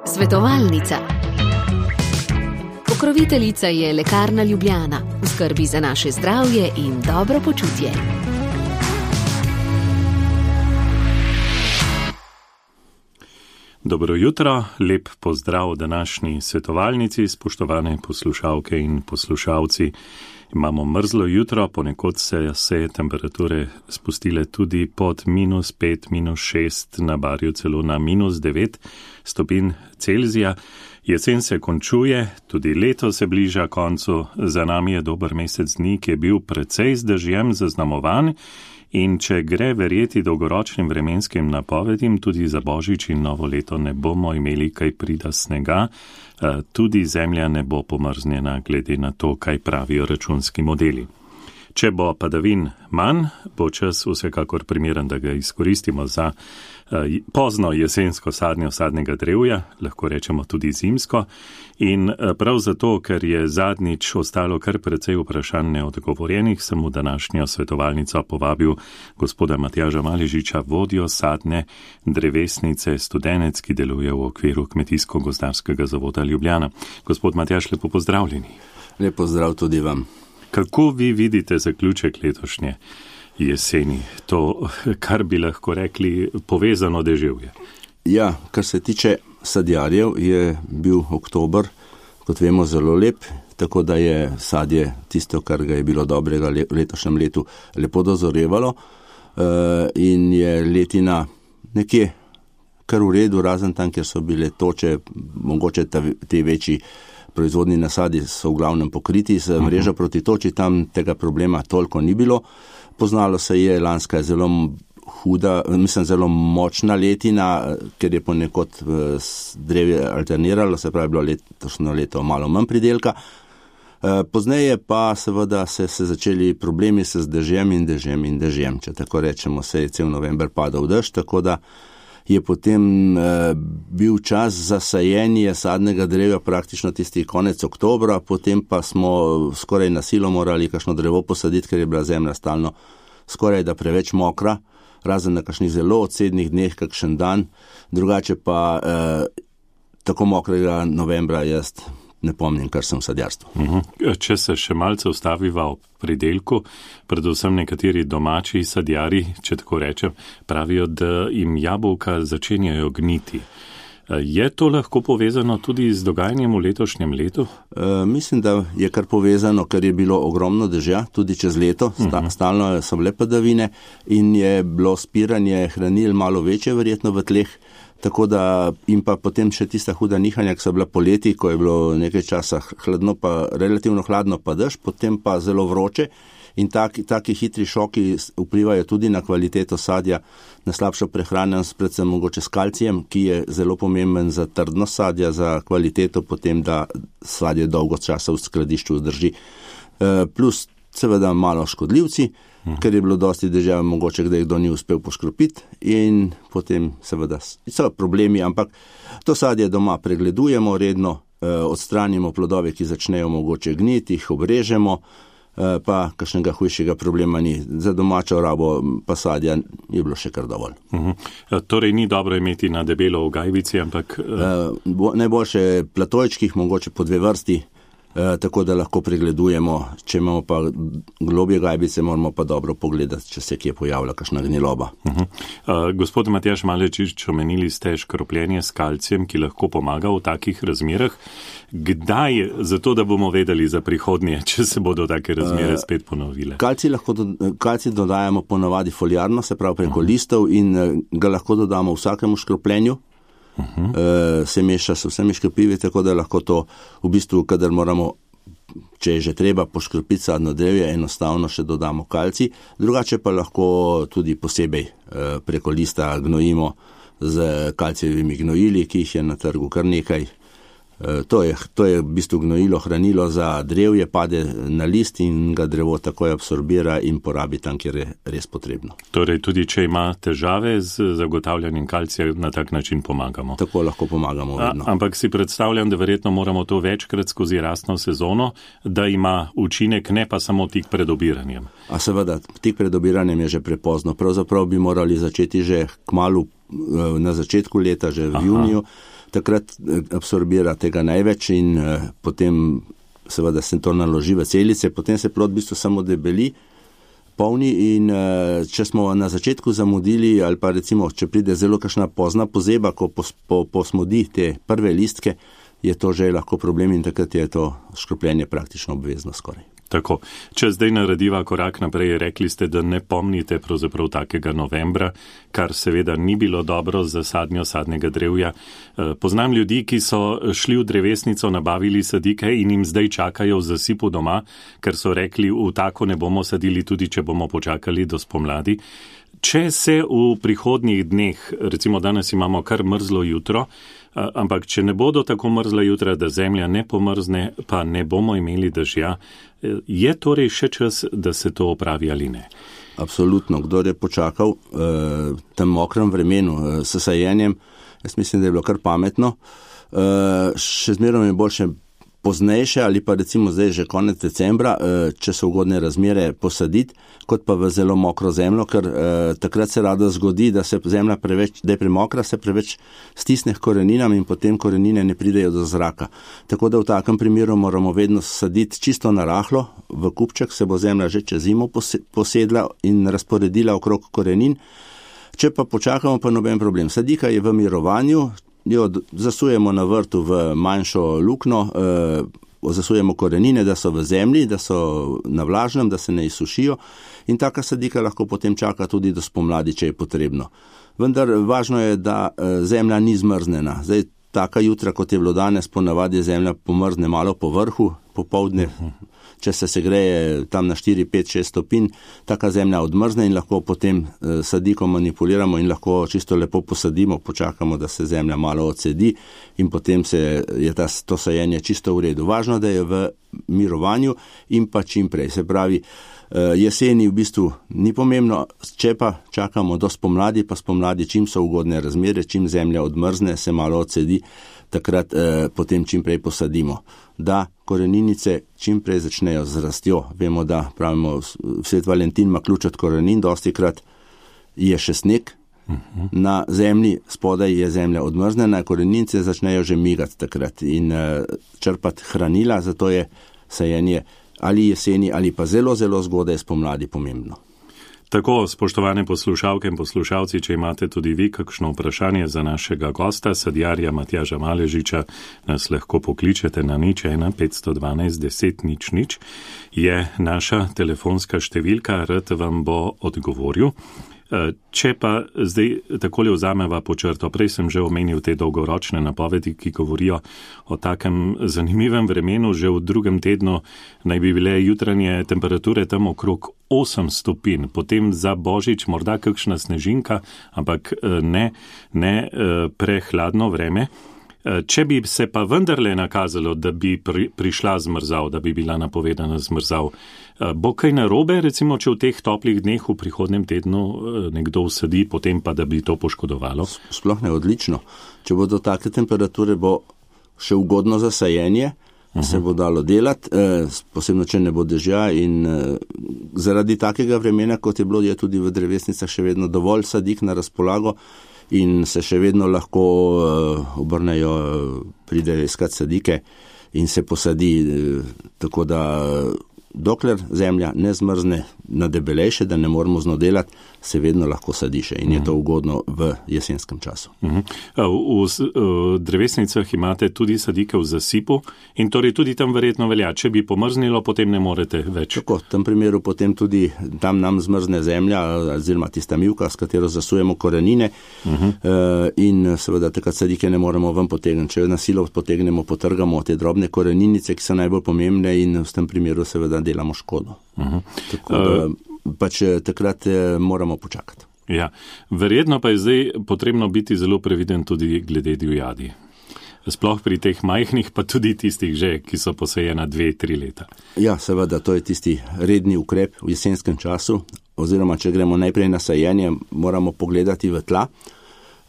Svetovalnica. Pokroviteljica je Lekarna Ljubljana, v skrbi za naše zdravje in dobro počutje. Dobro jutro, lep pozdrav današnji svetovalnici, spoštovane poslušalke in poslušalci. Imamo mrzlo jutro, ponekod se temperature spustile tudi pod -5, -6, na Barju celo na -9 stopinj Celzija. Jesen se končuje, tudi leto se bliža koncu, za nami je dober mesec dni, ki je bil precej z dežjem zaznamovan. In če gre verjeti dolgoročnim vremenskim napovedim, tudi za Božič in novo leto ne bomo imeli kaj prida snega, tudi zemlja ne bo pomrznjena glede na to, kaj pravijo računski modeli. Če bo padavin manj, bo čas vsekakor primeren, da ga izkoristimo za pozno jesensko sadnjo sadnega drevja, lahko rečemo tudi zimsko. In prav zato, ker je zadnjič ostalo kar precej vprašanj neodgovorjenih, sem v današnjo svetovalnico povabil gospoda Matjaža Maležiča, vodjo sadne drevesnice Studenec, ki deluje v okviru Kmetijsko-gozdarskega zavoda Ljubljana. Gospod Matjaž, lepo pozdravljeni. Lep pozdrav tudi vam. Kako vi vidite zaključek letošnje jeseni, to, kar bi lahko rekli, povezano deževje? Ja, kar se tiče sadjarjev, je bil oktober, kot vemo, zelo lep, tako da je sadje tisto, kar ga je bilo dobrega v letošnjem letu, lepo dozorevalo in je letina nekje kar v redu, razen tam, kjer so bile toče, mogoče te večji proizvodni nasadi so v glavnem pokriti z mrežo proti toči, tam tega problema toliko ni bilo. Poznalo se je, lanska je zelo huda, zelo močna letina, ker je ponekod drevje alterniralo, se pravi bilo letošnjo leto malo manj pridelka. Pozneje pa seveda se začeli problemi z dežjem, če tako rečemo, se je cel november padal dež, tako da je potem bil čas za sajenje sadnega drevja praktično tisti konec oktobra, potem pa smo skoraj na silo morali kakšno drevo posaditi, ker je bila zemlja stalno skoraj da preveč mokra, razen na kakšnih zelo odsednih dneh, kakšen dan, drugače pa tako mokrega novembra jaz ne pomnim, kar sem v sadjarstvu. Če se še malce ustaviva ob pridelku, predvsem nekateri domači sadjari, če tako rečem, pravijo, da jim jabolka začenjajo gniti. Je to lahko povezano tudi z dogajanjem v letošnjem letu? Mislim, da je kar povezano, ker je bilo ogromno dežja, tudi čez leto, stalno so bile padavine in je bilo spiranje hranil malo večje verjetno v tleh, tako da in pa potem še tista huda nihanja, ki so bila poleti, ko je bilo nekaj časa hladno, pa relativno hladno pa dež, potem pa zelo vroče in taki hitri šoki vplivajo tudi na kvaliteto sadja, na slabšo prehranjenost, predvsem mogoče s kalcijem, ki je zelo pomemben za trdnost sadja, za kvaliteto potem, da sadje dolgo časa v skladišču vzdrži. Plus seveda malo škodljivci, ker je bilo dosti dežja, mogoče kdaj kdo ni uspel poškropiti in potem seveda so problemi, ampak to sadje doma pregledujemo redno, odstranimo plodove, ki začnejo mogoče gniti, jih obrežemo, pa kakšnega hujšega problema ni. Za domačo rabo pa sadja je bilo še kar dovolj. Torej ni dobro imeti na debelo v gajbici, ampak najboljše platojčkih, mogoče po 2 vrsti, tako da lahko pregledujemo. Če imamo pa globje gajbice, moramo pa dobro pogledati, če se kje pojavlja kakšna gniloba. Gospod Matjaž Maležič, omenili ste škropljenje s kalcijem, ki lahko pomaga v takih razmerah. Kdaj, zato da bomo vedeli za prihodnje, če se bodo take razmere spet ponovile? Kalcij dodajamo ponavadi foliarno, se pravi preko listov in ga lahko dodamo vsakemu škropljenju. Se meša s vsemi škropivi, tako da lahko to v bistvu, kadar moramo, če je že treba poškropiti sadno drevje, enostavno še dodamo kalcij, drugače pa lahko tudi posebej preko lista gnojimo z kalcijevimi gnojili, ki jih je na trgu kar nekaj. To je v bistvu gnojilo, hranilo za drevje, pade na list in ga drevo takoj absorbira in porabi tam, kjer je res potrebno. Torej tudi, če ima težave z zagotavljanjem kalcija, na tak način pomagamo. Tako lahko pomagamo vedno. Ampak si predstavljam, da verjetno moramo to večkrat skozi rastno sezono, da ima učinek, ne pa samo tik pred obiranjem. A seveda, tik pred obiranjem je že prepozno. Pravzaprav bi morali začeti že kmalu na začetku leta, že v juniju, takrat absorbira tega največ in potem seveda se to naloži v celice, potem se plod v bistvu samo debeli, polni in če smo na začetku zamudili ali pa recimo, če pride zelo kakšna pozna pozeba, ko posmodi te prve listke, je to že lahko problem in takrat je to škropljenje praktično obvezno skoraj. Tako, če zdaj narediva korak naprej, rekli ste, da ne pomnite pravzaprav takega novembra, kar seveda ni bilo dobro za sadnjo sadnega drevja. Poznam ljudi, ki so šli v drevesnico, nabavili sadike in jim zdaj čakajo v zasipu doma, ker so rekli, v tako ne bomo sadili, tudi če bomo počakali do spomladi. Če se v prihodnjih dneh, recimo danes imamo kar mrzlo jutro, ampak če ne bodo tako mrzla jutra, da zemlja ne pomrzne, pa ne bomo imeli dežja, je torej še čas, da se to opravi ali ne? Absolutno. Kdor je počakal tem mokrem vremenu s sajenjem, jaz mislim, da je bilo kar pametno. Še zmeraj je boljše poznejše ali pa recimo zdaj že konec decembra, če so ugodne razmere, posaditi, kot pa v zelo mokro zemljo, ker takrat se rado zgodi, da se zemlja preveč, da je premokra, se preveč stisne k koreninam in potem korenine ne pridejo do zraka. Tako da v takem primeru moramo vedno saditi čisto na rahlo, v kupček se bo zemlja že čez zimo posedla in razporedila okrog korenin. Če pa počakamo, pa noben problem. Sadika je v mirovanju, jo zasujemo na vrtu v manjšo lukno, zasujemo korenine, da so v zemlji, da so na vlažnem, da se ne izsušijo in taka sadika lahko potem čaka tudi do spomladi, če je potrebno. Vendar važno je, da zemlja ni zmrznjena. Zdaj, taka jutra, kot je bilo danes, ponavadi zemlja pomrzne malo po vrhu, popoldne, če se segreje tam na 4, 5, 6 stopinj, taka zemlja odmrzne in lahko potem sadiko manipuliramo in lahko čisto lepo posadimo, počakamo, da se zemlja malo odsedi in potem je to sajenje čisto v redu. Važno, da je v mirovanju in pa čim prej. Se pravi, jeseni v bistvu ni pomembno, če pa čakamo do spomladi, pa spomladi, čim so ugodne razmere, čim zemlja odmrzne, se malo odsedi, takrat potem čim prej posadimo. Da koreninice čim prej začnejo z rastjo. Vemo, da pravimo, Svet Valentin ima ključ od korenin, dostikrat je še sneg na zemlji, spodaj je zemlja odmrznjena, koreninice začnejo že migati takrat in črpati hranila, zato je sajenje ali jeseni ali pa zelo, zelo zgodaj spomladi pomembno. Tako, spoštovane poslušalke in poslušalci, če imate tudi vi kakšno vprašanje za našega gosta, sadjarja Matjaža Maležiča, nas lahko pokličete na 01 512 10 00, je naša telefonska številka, rad vam bo odgovoril. Če pa zdaj takole vzameva po črto, prej sem že omenil te dolgoročne napovedi, ki govorijo o takem zanimivem vremenu, že v drugem tednu naj bi bile jutranje temperature tam okrog 8 stopinj, potem za Božič morda kakšna snežinka, ampak ne prehladno vreme. Če bi se pa vendarle nakazalo, da bi prišla zmrzal, da bi bila napovedana zmrzal, bo kaj narobe, recimo, če v teh toplih dneh v prihodnem tednu nekdo vsadi, potem pa, da bi to poškodovalo? Sploh ne, odlično. Če bodo take temperature, bo še ugodno za sajenje, se bo dalo delati, posebno, če ne bo dežja in zaradi takega vremena, kot je bilo, je tudi v drevesnicah še vedno dovolj sadik na razpolago, in se še vedno lahko obrnejo, pridejo iskat sadike in se posadi, tako da dokler zemlja ne zmrzne na debelejše, da ne moramo z njo delati, se vedno lahko sadi še in je to ugodno v jesenskem času. V drevesnicah imate tudi sadike v zasipu in torej tudi tam verjetno velja, če bi pomrznilo, potem ne morete več. Tako, v tem primeru potem tudi tam nam zmrzne zemlja, oziroma tista mivka, s katero zasujemo korenine in seveda takrat sadike ne moremo ven potegniti. Če na silo potegnemo, potrgamo te drobne koreninice, ki so najbolj pomembne in v tem primeru seveda delamo škodo. Tako da pač takrat moramo počakati. Ja, verjetno pa je zdaj potrebno biti zelo previden tudi glede divjadi. Sploh pri teh majhnih, pa tudi tistih že, ki so posejena 2-3 leta. Ja, seveda, to je tisti redni ukrep v jesenskem času, oziroma če gremo najprej na sajenje, moramo pogledati v tla.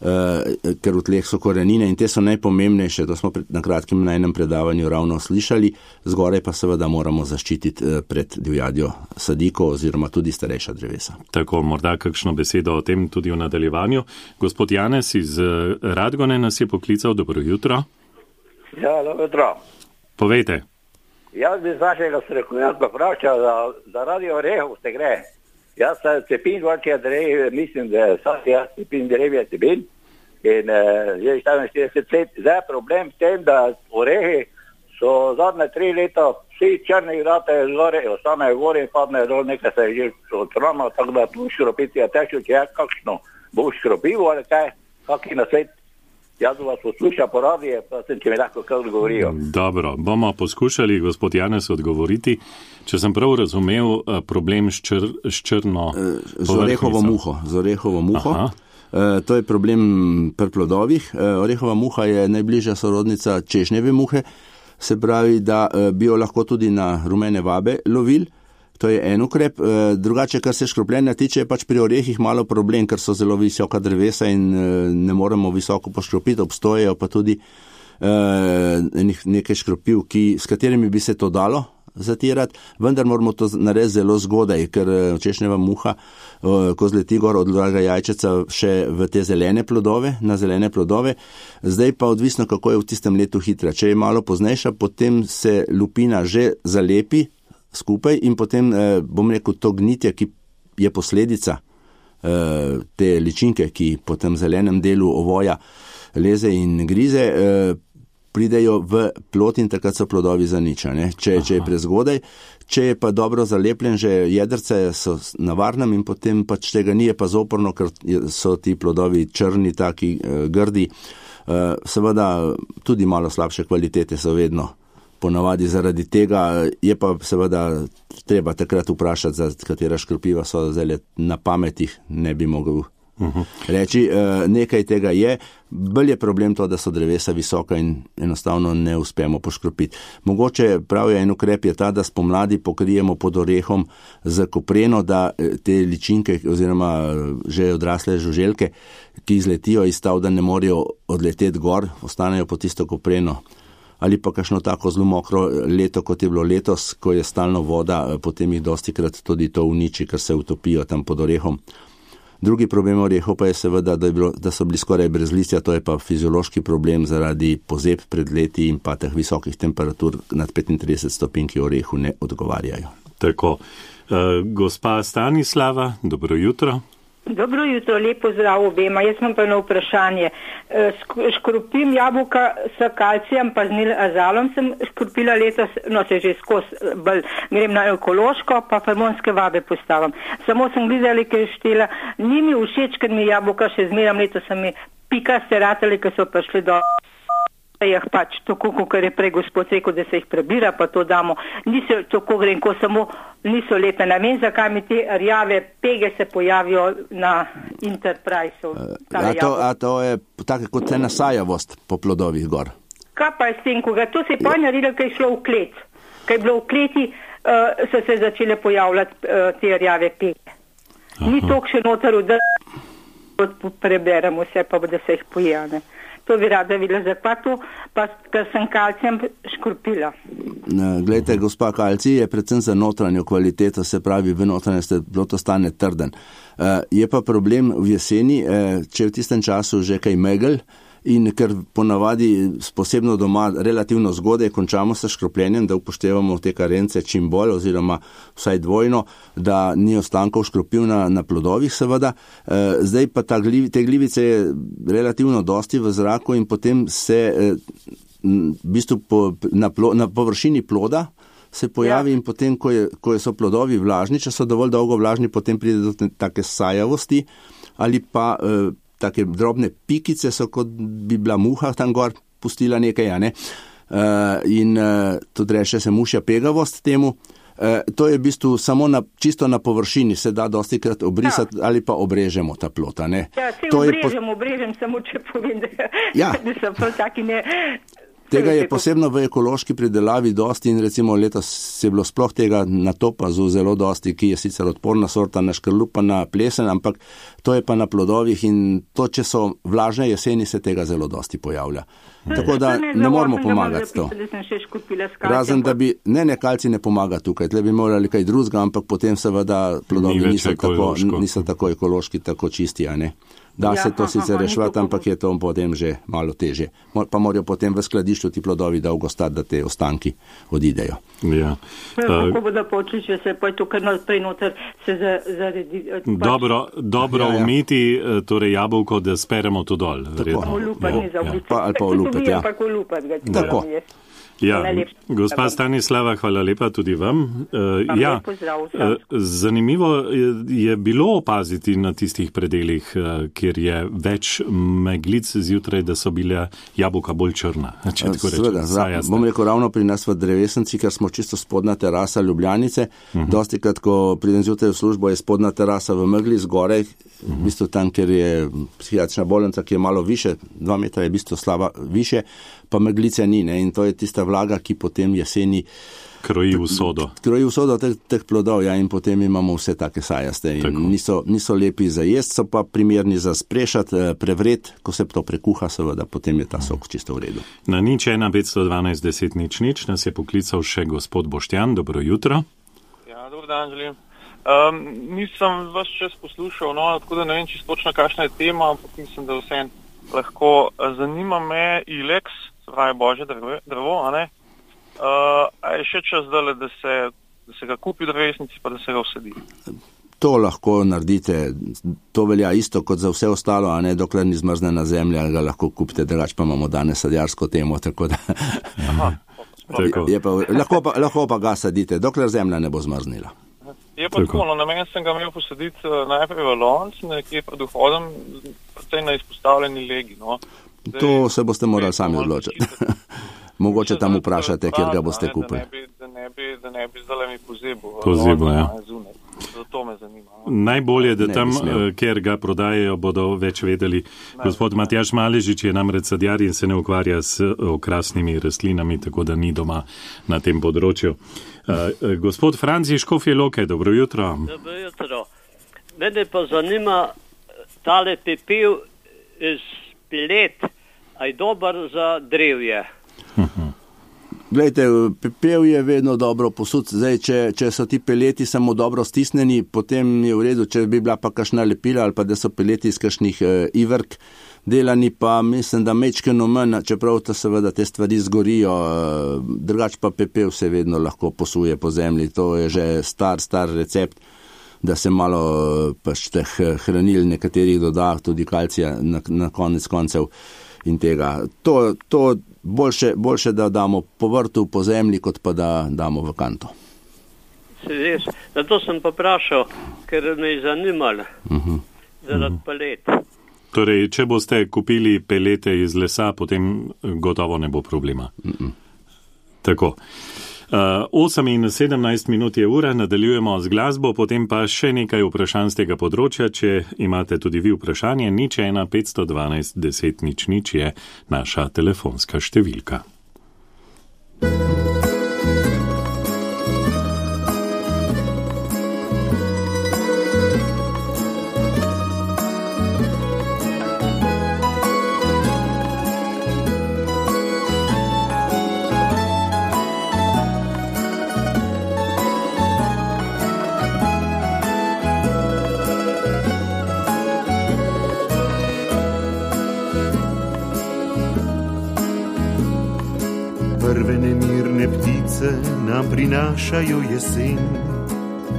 ker v tleh so korenine in te so najpomembnejše, to smo na kratkem na enem predavanju ravno slišali, zgoraj pa seveda moramo zaščititi pred divjadjo sadikov oziroma tudi starejša drevesa. Tako, morda kakšno besedo o tem tudi v nadaljevanju. Gospod Janez iz Radgone nas je poklical, dobro jutro. Ja, dobro jutro. Povejte. Jaz bi z vašega strokovnjaka vprašal, da radi orehov se gre. Jaz se cepim dvorčja drev, mislim, da jaz cepim drevje cepim. In je 44 let. Zdaj je problem v tem, da orehi so zadnje 3 leta vsi črni vratajo zgore, ostanejo gori in padnejo dol, nekaj se je že odtronilo, tako da tu škropiti je težko, če je kakšno bo škropivo ali kaj, kakšen na svet. Jaz vas poslušam po radiju, pa sem, če mi lahko kaj odgovorijo. Dobro, bomo poskušali, gospod Janez, odgovoriti. Če sem prav razumel, problem s črno z orehovo muho. To je problem pri plodovih. Orehova muha je najbližja sorodnica češnjeve muhe, se pravi, da bi jo lahko tudi na rumene vabe lovil. To je en ukrep. Drugače, kar se škropljenja tiče, je pač pri orehih malo problem, ker so zelo visoka drevesa in ne moremo visoko poškropiti. Obstojejo pa tudi nekaj škropiv, s katerimi bi se to dalo zatirati, vendar moramo to narediti zelo zgodaj, ker češnjeva muha, ko zleti gor, odlaga jajčeca še v te zelene plodove, na zelene plodove. Zdaj pa odvisno, kako je v tistem letu hitra. Če je malo poznejša, potem se lupina že zalepi skupaj in potem, bom rekel, to gnitje, ki je posledica te ličinke, ki po tem zelenem delu ovoja leze in grize, pridejo v plod in takrat so plodovi zaničani, če je prezgodaj. Če je pa dobro zalepljen, že jedrce so na varnem in potem pač tega ni, je pa zoporno, ker so ti plodovi črni, taki grdi. Seveda tudi malo slabše kvalitete so vedno ponavadi zaradi tega, je pa seveda treba takrat vprašati, za katera škropiva so zdaj na pametih, ne bi mogel reči, nekaj tega je. Bolj je problem to, da so drevesa visoka in enostavno ne uspemo poškropiti. Mogoče pravi en ukrep je ta, da spomladi pokrijemo pod orehom z kopreno, da te ličinke oziroma že odrasle žuželke, ki izletijo iz stav, da ne morejo odleteti gor, ostanejo pod tisto kopreno. Ali pa kakšno tako zelo mokro leto, kot je bilo letos, ko je stalno voda, potem jih dostikrat tudi to uniči, ker se utopijo tam pod orehom. Drugi problem orehov pa je seveda, da so bili skoraj brez listja, to je pa fiziološki problem zaradi pozeb pred leti in pa teh visokih temperatur nad 35 stopinj, ki orehu ne odgovarjajo. Tako. Gospa Stanislava, dobro jutro. Dobro jutro, lepo zdrav obema. Jaz imam pa eno vprašanje. Škropim jabolka s kalcijem, pa z nilazalom sem škropila letos, no se že skozi bolj grem na ekološko, pa hormonske vabe postavim. Samo sem gledala, ker je štela, ni mi všeč, ker mi jabolka še zmeram letos, sem mi pikaste ratali, ker so prišli do jih pač tako, kot je prej gospod rekel, da se jih prebira, pa to damo. Niso tako grem, ko samo niso lepe. Ne vem, zakaj mi te rjave pege se pojavijo na Enterprise-u. A to je tako kot ena sajavost po plodovih gor. Kaj pa je s tem, ko ga to se je pa naredilo, kaj je šlo v klet. Kaj je bilo v kleti, so se začele pojavljati te rjave pege. Ni toliko še noter, da preberemo vse, pa da se jih pojave. To bi rada videla, zakaj to, pa ker sem kalcijem škropila. Glejte, gospa, kalcij je predvsem za notranjo kvaliteto, se pravi, v notranjosti to stane trden. Je pa problem v jeseni, če v tistem času že kaj megel in ker ponavadi posebno doma relativno zgodaj končamo s škropljenjem, da upoštevamo te karence čim bolj oziroma vsaj dvojno, da ni ostankov škropil na plodovih seveda. Zdaj pa te glivice je relativno dosti v zraku in potem se v bistvu na površini ploda se pojavi in potem, ko so plodovi vlažni, če so dovolj dolgo vlažni, potem pride do take sajavosti ali pa take drobne pikice so, kot bi bila muha tam gor pustila nekaj, ja ne? In tudi reče se mušja pegavost temu. To je v bistvu samo čisto na površini, se da dosti krat obrisati ali pa obrežemo ta plota, ne? Ja, se obrežem, samo če povem, da so prav taki ne... Tega je posebno v ekološki pridelavi dosti in recimo letos je bilo sploh tega na topazu zelo dosti, ki je sicer odporna sorta na škrlup, na plesen, ampak to je pa na plodovih in to, če so vlažne jeseni, se tega zelo dosti pojavlja. Tako da ne moramo pomagati to. Razen, da bi, kalci ne pomaga tukaj, tle bi morali kaj drugega, ampak potem seveda plodovi niso tako ekološki, tako čisti, a ne. Da se to sicer rešvati, ampak je to potem že malo teže. Pa morajo potem v skladišču ti plodovi dolgo stati, da te ostanki odidejo. Ja. Kako bo da počli, če se pa tukaj naprej noter se zaredi... Dobro umiti, torej jabolko, da speremo to dol. Ali pa olupati, ja. Tako. Ja, gospa Stanislava, hvala lepa tudi vam. Zanimivo je bilo opaziti na tistih predelih, kjer je več meglic zjutraj, da so bile jabolka bolj črna. Bom rekel, ravno pri nas v Drevesenci, ker smo čisto spodna terasa Ljubljanice, dostikrat, ko pridem zjutraj v službo, je spodna terasa v megli zgoraj, v bistvu tam, kjer je psihiatrična bolnica, ki je malo više, 2 metra je v bistvu slaba više, pa meglice ni, ne? In to je tista vlaga, ki potem jeseni kroji usodo teh plodov, ja, in potem imamo vse take sajaste in niso lepi za jest, so pa primerni za sprešati, prevret, ko se to prekuha, seveda, potem je ta sok čisto v redu. Na 01512 10 00 nas je poklical še gospod Boštjan, dobro jutro. Ja, dobro dan želim. Nisem vas čas poslušal, tako da ne vem čisto točno, kakšna je tema, ampak mislim, da vse lahko. Zanima me ilex, pravi božje drevo, a ne? A je še čas dale, da se ga kupi v drevesnici, pa da se ga vsedi? To lahko naredite, to velja isto kot za vse ostalo, a ne, dokler ni zmrznjena zemlja, ga lahko kupite, drugače pa imamo danes sadjarsko temo, tako da... Lahko pa ga sadite, dokler zemlja ne bo zmrznila. Je pa tako, na meni sem ga imel posaditi najprej v lonc, nekje pred vhodom, predvsej na izpostavljeni legi, no. To se boste morali sami odločiti. Mogoče tam vprašate, kjer ga boste kupili. Da ne bi zdaj mi pozebo, ja. Zato me zanima. Najbolje, da tam, kjer ga prodajajo, bodo več vedeli. Gospod Matjaž Maležič je namreč sadjar in se ne ukvarja s okrasnimi rastlinami, tako da ni doma na tem področju. Gospod Franci Škofje Loke, dobro jutro. Dobro jutro. Mene pa zanima tale pepel iz pelet, a je dober za drevje? Glejte, pepel je vedno dobro posud. Zdaj, če so ti peleti samo dobro stisnjeni, potem je v redu, če bi bila pa kakšna lepila ali pa da so peleti iz kakšnih ivrk delani, pa mislim, da mečkeno manj, čeprav to seveda te stvari zgorijo, drugač pa pepel se vedno lahko posuje po zemlji. To je že star recept, da se malo pač teh hranil nekaterih doda, tudi kalcija na konec koncev in tega. To boljše, da damo po vrtu, po zemlji, kot pa da damo v kanto. Res, zato sem pa vprašal, ker me je zanimalo, zaradi pelet. Torej, če boste kupili pelete iz lesa, potem gotovo ne bo problema. Tako. 8 in 17 minut je ura, nadaljujemo z glasbo, potem pa še nekaj vprašanj z tega področja. Če imate tudi vi vprašanje, 01 512 10 00 je naša telefonska številka. Prve nemirne ptice nam prinašajo jesen,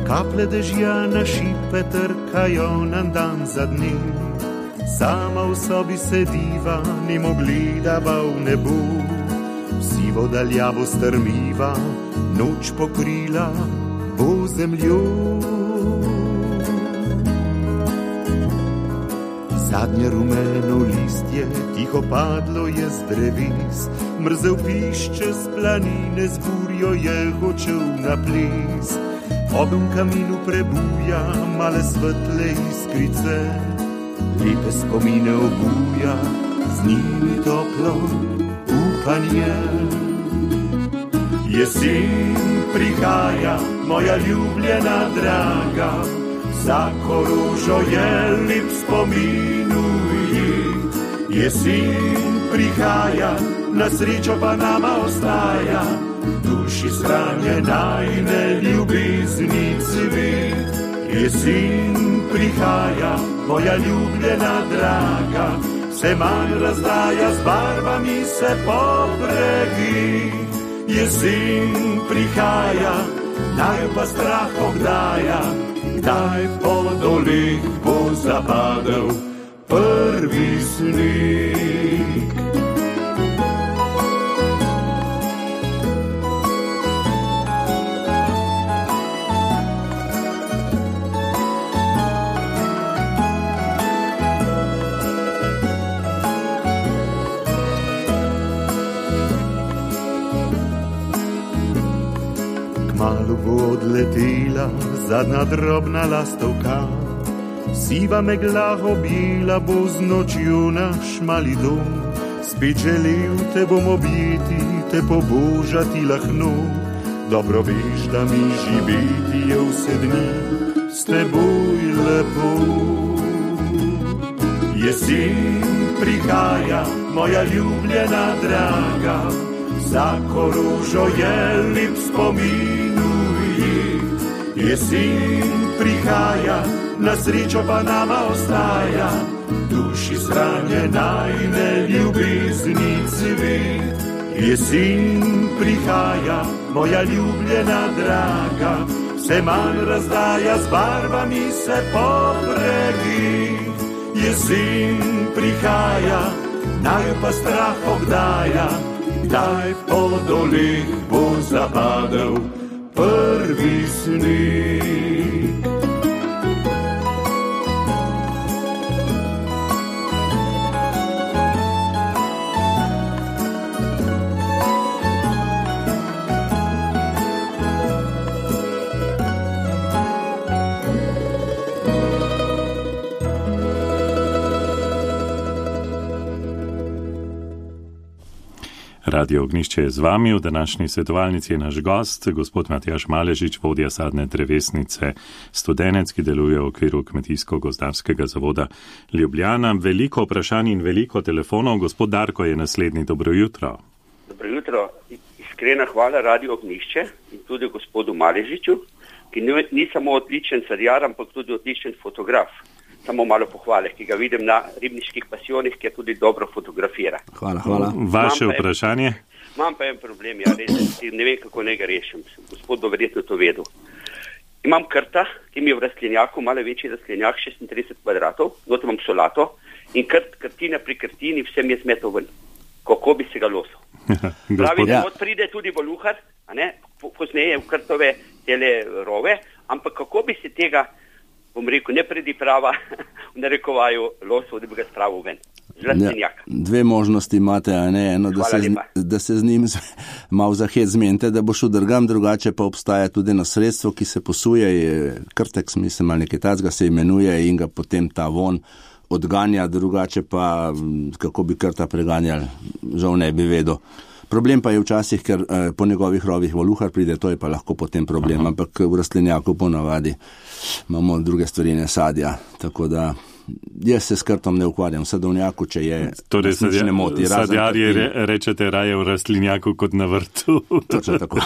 kaplje dežja na šipe trkajo nam dan za dnem. Sama v sobi sediva, nemo gledava v nebo, sivo daljavo strmiva, noč pokrila bo zemljo. Zadnje rumeno listje tiho padlo je z dreves, mrzel pišče z planine, z burjo je hočel na ples. Oben kaminu prebuja male svetle iskrice, lepe spomine obuja, z njimi toplo v upanje. Jesen prihaja, moja ljubljena draga, vsako rožo je lep spominuji. Jesen prihaja, na srečo pa nama ostaja, duši shranjena in ljubezni cvet. Jesen prihaja, moja ljubljena draga, se manj razdaja, z barvami se pobregi. Jesen prihaja, naj pa strah obdaja, kdaj po dolih bo zapadel prvi sneg. Kmalu bo odletela zadnja drobna lastovka, siva megla objela bo z nočjo naš mali dom. Spet želel te bom objeti, te pobožati lahno, dobro veš, da mi živeti je vse dni s teboj lepo. Jesen prihaja, moja ljubljena draga, vsako rožo je lep spominuji. Jesen prihaja, na srečo pa nama ostaja, duši shranjena in ljubezni cvet. Jesen prihaja, moja ljubljena draga, se manj razdaja, z barvami se pobregi. Jesen prihaja, naj pa strah obdaja, kdaj po dolih bo zapadel prvi sneg. Radio Ognjišče je z vami, v današnji svetovalnici je naš gost, gospod Matjaž Maležič, vodja sadne drevesnice Studenec, ki deluje v okviru Kmetijsko-gozdarskega zavoda Ljubljana. Veliko vprašanj in veliko telefonov. Gospod Darko je naslednji. Dobro jutro. Dobro jutro. Iskrena hvala Radio Ognjišče in tudi gospodu Maležiču, ki ni samo odličen sadjar, ampak tudi odličen fotograf. Samo malo pohvale, ki ga vidim na ribniških pasijonih, ki je tudi dobro fotografira. Hvala. Vaše vprašanje? Imam pa en problem, res, ne vem, kako ne ga rešim. Gospod bo verjetno to vedel. Imam krta, ki mi je v rastlinjaku, malo večji rastlinjak, 36 kvadratov, noto imam solato in krtina pri krtini vsem je zmetal ven. Kako bi se ga losil? Pravi, da pride tudi voluhar, pozneje v krtove tele rove, ampak kako bi se tega, bom rekel, ne prediprava, v narekovaju losov, da bi ga spravil ven. Zlastinjak. Dve možnosti imate, eno, da se z njim malo zahet zmenite, da bo šel drugam, drugače pa obstaja tudi eno sredstvo, ki se posuje, krtek, mislim, ali nekaj tacga se imenuje in ga potem ta von odganja, drugače pa, kako bi krta preganjali, žal ne bi vedel. Problem pa je včasih, ker po njegovih rovih voluhar pride, to je pa lahko potem problem, ampak v rastlinjaku ponavadi imamo druge stvari, ne sadja, tako da jaz se s krtom ne ukvarjam, v sadovnjaku, če je torej ne moti. Sadjarji rečete raje v rastlinjaku kot na vrtu. Točno tako.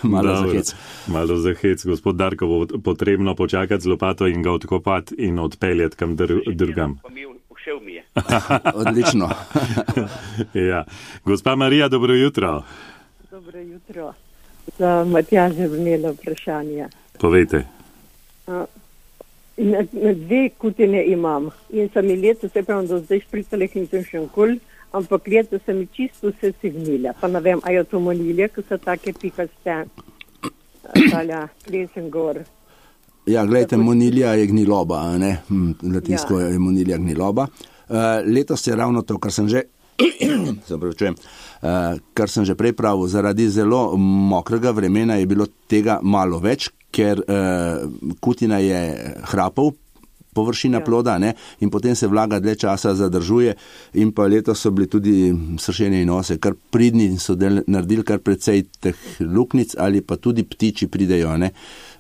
Malo zahec. Malo zahec. Gospod Darko, bo potrebno počakati z lopato in ga odkopati in odpeljati kam drugam. Odlično. Ja. Gospa Marija, dobro jutro. Dobro jutro. Za Matjaža bi imela vprašanje. Povejte. Na dve kutine imam in sem mi leto, se pravim, do zdaj špricala in sem še nikoli, ampak leto sem mi čisto vse signila. Pa ne vem, a je to monilje, ko so take pikaste, talja, lesen gor. Ja, gledajte, monilja je gniloba, ne? Latinsko je monilja gniloba. Letos je ravno to, kar sem že kar sem že prej pravil, zaradi zelo mokrega vremena je bilo tega malo več, ker kutina je hrapov površina ploda, ne, in potem se vlaga dlje časa zadržuje in pa letos so bili tudi sršenje in ose, kar pridni so naredili kar precej teh luknic ali pa tudi ptiči pridejo, ne.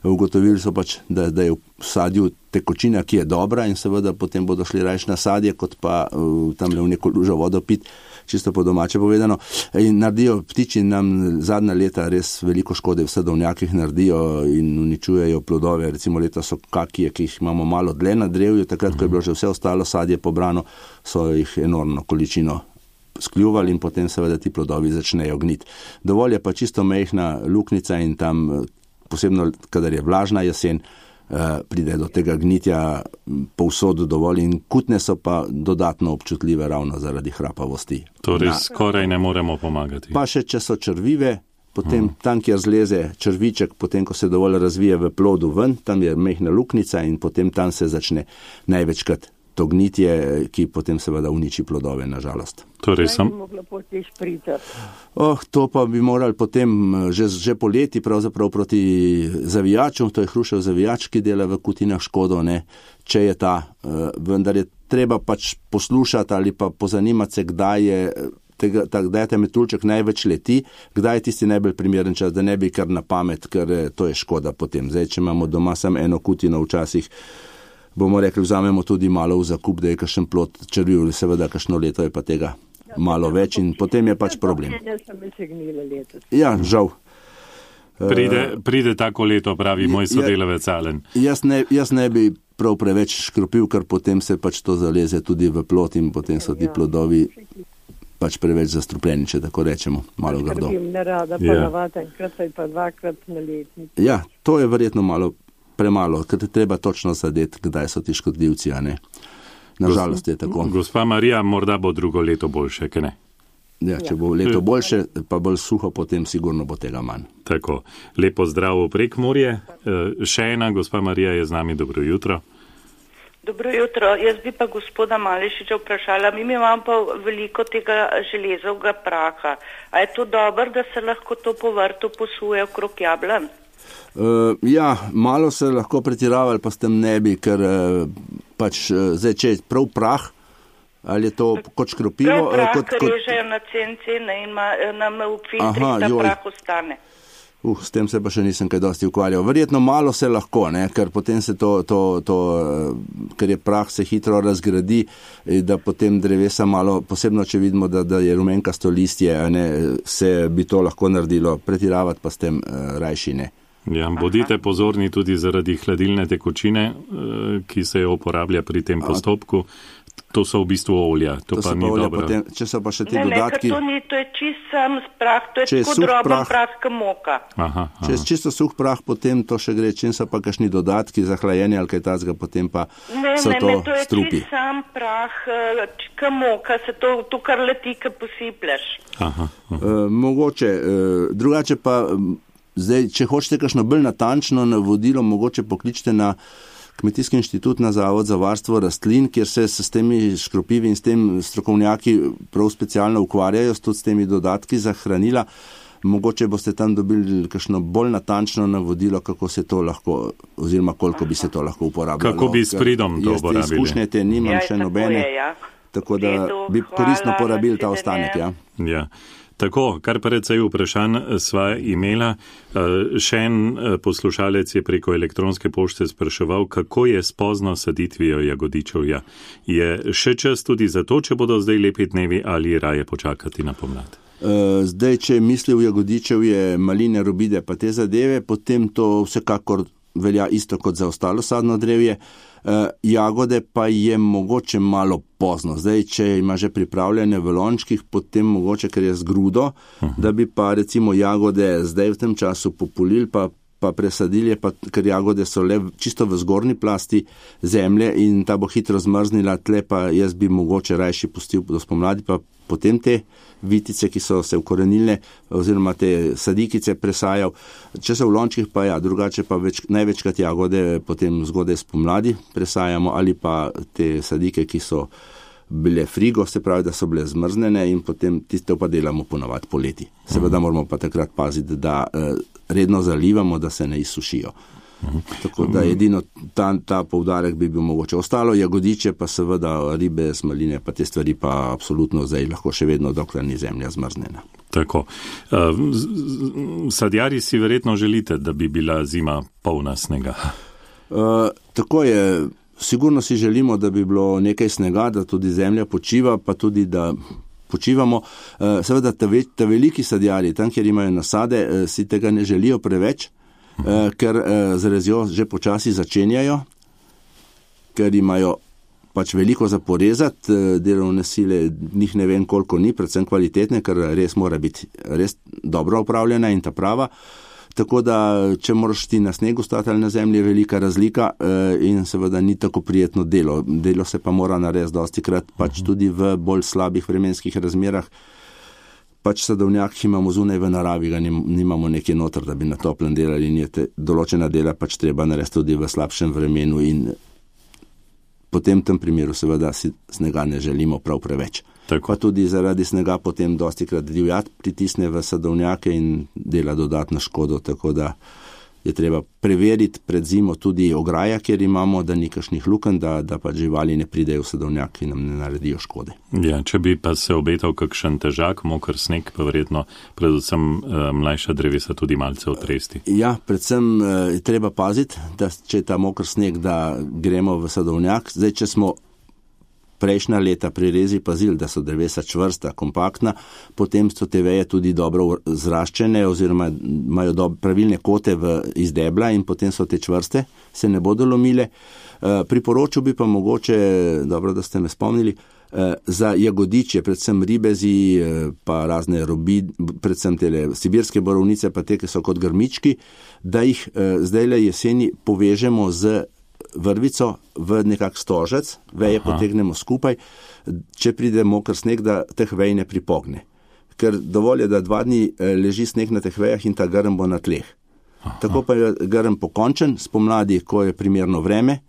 Ugotovili so pač, da je v sadju tekočina, ki je dobra in seveda potem bodo šli rajš na sadje, kot pa tamle v neko lužo vodo pit, čisto po domače povedano. In naredijo ptiči nam zadnja leta res veliko škode, v sadovnjakih naredijo in uničujejo plodove. Recimo leta so kakije, ki jih imamo malo dlje na drevju, takrat, ko je bilo že vse ostalo sadje pobrano, so jih enormno količino skljuvali in potem seveda ti plodovi začnejo gniti. Dovolj je pa čisto mehna luknica in tam, posebno kadar je vlažna jesen, pride do tega gnitja povsod dovolj in kutne so pa dodatno občutljive ravno zaradi hrapavosti. Torej skoraj ne moremo pomagati. Pa še, če so črvive, potem tam, kjer zleze črviček, potem, ko se dovolj razvije v plodu ven, tam je mehna luknica in potem tam se začne največkrat to gnitje, ki potem seveda uniči plodove, nažalost. Torej to pa bi morali potem že poleti pravzaprav proti zavijačom, to je hrušev zavijač, ki dela v kutinah škodo, ne, če je ta, vendar je treba pač poslušati ali pa pozanimati se, kdaj je ta metuljček največ leti, kdaj je tisti najbolj primeren čas, da ne bi kar na pamet, ker to je škoda potem. Zdaj, če imamo doma samo eno kutino, včasih bomo rekli, vzamemo tudi malo v zakup, da je kakšen plod črviv, seveda kakšno leto je pa tega malo več in potem je pač problem. Ja, žal. Pride tako leto, pravi moj sodelavec Alen. Jaz ne bi prav preveč škropil, ker potem se pač to zaleze tudi v plod in potem so ti plodovi pač preveč zastrupljeni, če tako rečemo, malo grdo. Ja, to je verjetno malo premalo, ker te treba točno zadeti, kdaj so ti škodljivci, a ne. Nažalost je tako. Gospa Marija, morda bo drugo leto boljše, kaj ne? Ja, če bo leto boljše, pa bolj suho, potem sigurno bo tega manj. Tako, lepo zdravo prek morje. Še ena, gospa Marija je z nami, dobro jutro. Dobro jutro, jaz bi pa gospoda Malešiča vprašala, mi imamo pa veliko tega železovega praha. A je to dobro, da se lahko to po vrtu posuje okrog jablan? Ja, malo se lahko pretiravali, pa s tem ne bi, ker pač zdaj, če je prav prah, ali je to kot škropivo? Prav prah, ker režejo na cene in nam v filtrih ta prah ostane. S tem se pa še nisem kaj dosti ukvarjal. Verjetno malo se lahko, ne, ker potem se ker je prah se hitro razgradi, da potem drevesa malo, posebno če vidimo, da je rumenkasto listje, ne, se bi to lahko naredilo, pretiravati pa s tem rajši ne. Ja, bodite pozorni tudi zaradi hladilne tekočine, ki se jo uporablja pri tem postopku. To so v bistvu olja, to pa ni dobro. Potem, če so pa še ti dodatki... Ne, ker to je čist sam prah, to je tako droben prah, kot moka. Če je čisto suh prah, potem to še gre, čim so pa kakšni dodatki za hlajenje ali kaj tazga, potem pa so to strupi. To je čist sam prah, kot moka, se to kar leti, ko posipljaš. Mogoče, drugače pa, zdaj, če hočete kakšno bolj natančno navodilo, mogoče pokličite na Kmetijski inštitut, na Zavod za varstvo rastlin, kjer se s temi škropivi in s tem strokovnjaki prav specialno ukvarjajo, tudi s temi dodatki za hranila. Mogoče boste tam dobili kakšno bolj natančno navodilo, kako se to lahko, oziroma koliko bi se to lahko uporabljalo. Kako bi s pridom to uporabili? Jaz te izkušnje te nimam še nobene, tako da bi koristno porabili ta ostanek. Ja. Tako, kar precej vprašanj sva imela. Še en poslušalec je preko elektronske pošte spraševal, kako je s pozno saditvijo jagodičevja. Je še čas tudi za to, če bodo zdaj lepi dnevi ali raje počakati na pomlad? Zdaj, če misli v jagodičevje, maline, robide pa te zadeve, potem to vsekakor velja isto kot za ostalo sadno drevje. Jagode pa je mogoče malo pozno. Zdaj, če ima že pripravljene v lončkih, potem mogoče, ker je z grudo, da bi pa recimo jagode zdaj v tem času populili, pa presadili, ker jagode so le čisto v zgornji plasti zemlje in ta bo hitro zmrznila, tle pa jaz bi mogoče rajši pustil do spomladi, pa potem te vitice, ki so se ukorenile, oziroma te sadikice presajal. Če so v lončkih, pa ja, drugače pa največkrat jagode potem zgodaj spomladi presajamo, ali pa te sadike, ki so bile frigo, se pravi, da so bile zmrznene in potem tiste pa delamo ponovadi poleti. Seveda moramo pa takrat paziti, da redno zalivamo, da se ne izsušijo. Tako da edino ta poudarek bi bil mogoče. Ostalo jagodiče, pa seveda ribe, smaline, pa te stvari pa absolutno zdaj lahko še vedno, dokler ni zemlja zmrznjena. Tako. Sadjarji si verjetno želite, da bi bila zima polna snega. Tako je. Sigurno si želimo, da bi bilo nekaj snega, da tudi zemlja počiva, pa tudi da počivamo. Seveda ta veliki sadjarji, tam, kjer imajo nasade, si tega ne želijo preveč, ker z rezjo že počasi začenjajo, ker imajo pač veliko za porezati, delovne sile njih ne vem koliko ni, predvsem kvalitetne, ker res mora biti res dobro upravljena in ta prava. Tako da, če moraš ti na snegu stati ali na zemlji, je velika razlika in seveda ni tako prijetno delo. Delo se pa mora narediti dostikrat, pač tudi v bolj slabih vremenskih razmerah. Pač sadovnjak imamo zunaj v naravi, ga nimamo nekje noter, da bi na toplem delali in je določena dela pač treba narediti tudi v slabšem vremenu in potem v tem primeru seveda si snega ne želimo prav preveč. Tako. Pa tudi zaradi snega potem dostikrat divjad pritisne v sadovnjake in dela dodatno škodo, tako da je treba preveriti pred zimo tudi ograja, kjer imamo, da ni kakšnih lukenj, da pa živali ne pridejo v sadovnjak in nam ne naredijo škode. Ja, če bi pa se obetal kakšen težak, moker sneg, pa verjetno predvsem mlajša drevesa tudi malce otresti. Ja, predvsem je treba paziti, da če je ta moker sneg, da gremo v sadovnjak. Zdaj, če smo prejšnja leta pri rezi pazili, da so drevesa čvrsta, kompaktna, potem so te veje tudi dobro zraščene oziroma imajo pravilne kote iz debla in potem so te čvrste, se ne bodo lomile. Priporočil bi pa mogoče, dobro, da ste me spomnili, za jagodiče, predvsem ribezi, pa razne robi, predvsem tele sibirske borovnice, pa te, ki so kot grmički, da jih zdajle jeseni povežemo z vrvico v nekak stožec, veje potegnemo skupaj, če pride moker sneg, da teh vej ne pripogne. Ker dovolj je, da 2 dni leži sneg na teh vejah in ta grm bo na tleh. Tako pa je grm pokončen, spomladi, ko je primerno vreme,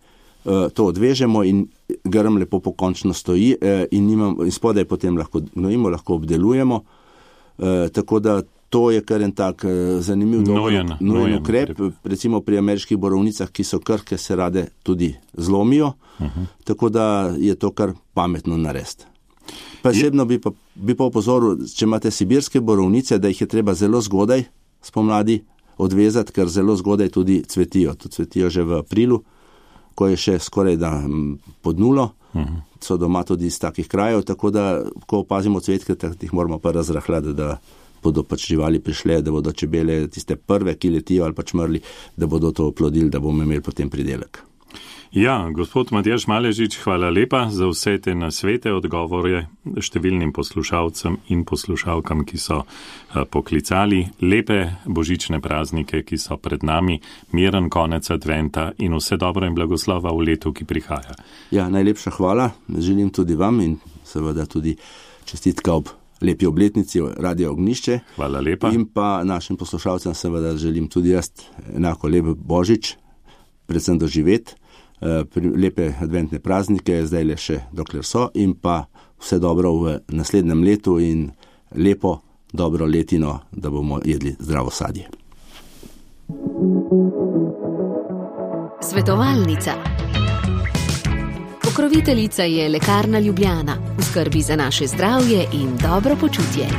to odvežemo in grm lepo pokončno stoji in spodaj potem lahko gnojimo, lahko obdelujemo, tako da to je kar en tak zanimiv nojen ukrep, recimo pri ameriških borovnicah, ki so krhke, se rade tudi zlomijo, tako da je to kar pametno narediti. Posebno bi pa opozoril, če imate sibirske borovnice, da jih je treba zelo zgodaj spomladi odvezati, ker zelo zgodaj tudi cvetijo. To cvetijo že v aprilu, ko je še skoraj da pod nulo, so doma tudi iz takih krajev, tako da, ko opazimo cvetke, jih moramo pa razrahljati, da bodo pač živali prišle, da bodo čebele tiste prve, ki letijo ali pač mrli, da bodo to oplodili, da bomo imeli potem pridelek. Ja, gospod Matjaž Maležič, hvala lepa za vse te nasvete, odgovore številnim poslušalcem in poslušalkam, ki so poklicali. Lepe božične praznike, ki so pred nami, miren konec adventa in vse dobro in blagoslova v letu, ki prihaja. Ja, najlepša hvala. Želim tudi vam in seveda tudi čestitka ob lepi obletnici Radio Ognjišče. Hvala lepa. In pa našim poslušalcem seveda želim tudi jaz enako lep božič, predvsem doživeti, lepe adventne praznike, zdaj le še dokler so, in pa vse dobro v naslednjem letu in lepo, dobro letino, da bomo jedli zdravo sadje. Svetovalnica. Pokroviteljica je Lekarna Ljubljana. V skrbi za naše zdravje in dobro počutje.